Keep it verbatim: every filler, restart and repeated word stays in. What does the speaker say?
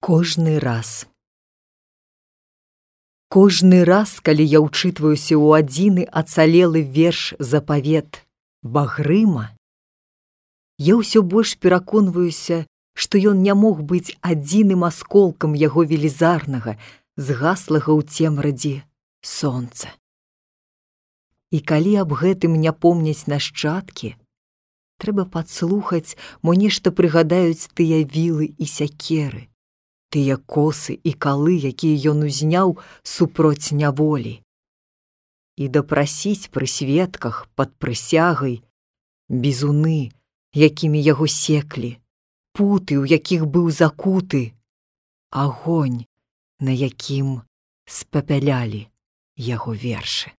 Кожны раз. Кожны раз, калі я ўчытваюся ў адзіны ацалелы верш запавет Багрыма, я ўсё больш пераконваюся, што ён не мог быць адзіным асколкам яго велізарнага, згаслага ў цемрадзе сонца. І калі аб гэтым не помняць нашчадкі, трэба падслухаць, мо нешта прыгадаюць тыя вілы і сякеры, тыя косы і калы, якія ён узняў супроць няволі. І дапрасіць пры сведках пад прысягай бізуны, якімі яго секлі, путы, у якіх быў закуты, агонь, на якім спапялялі яго вершы.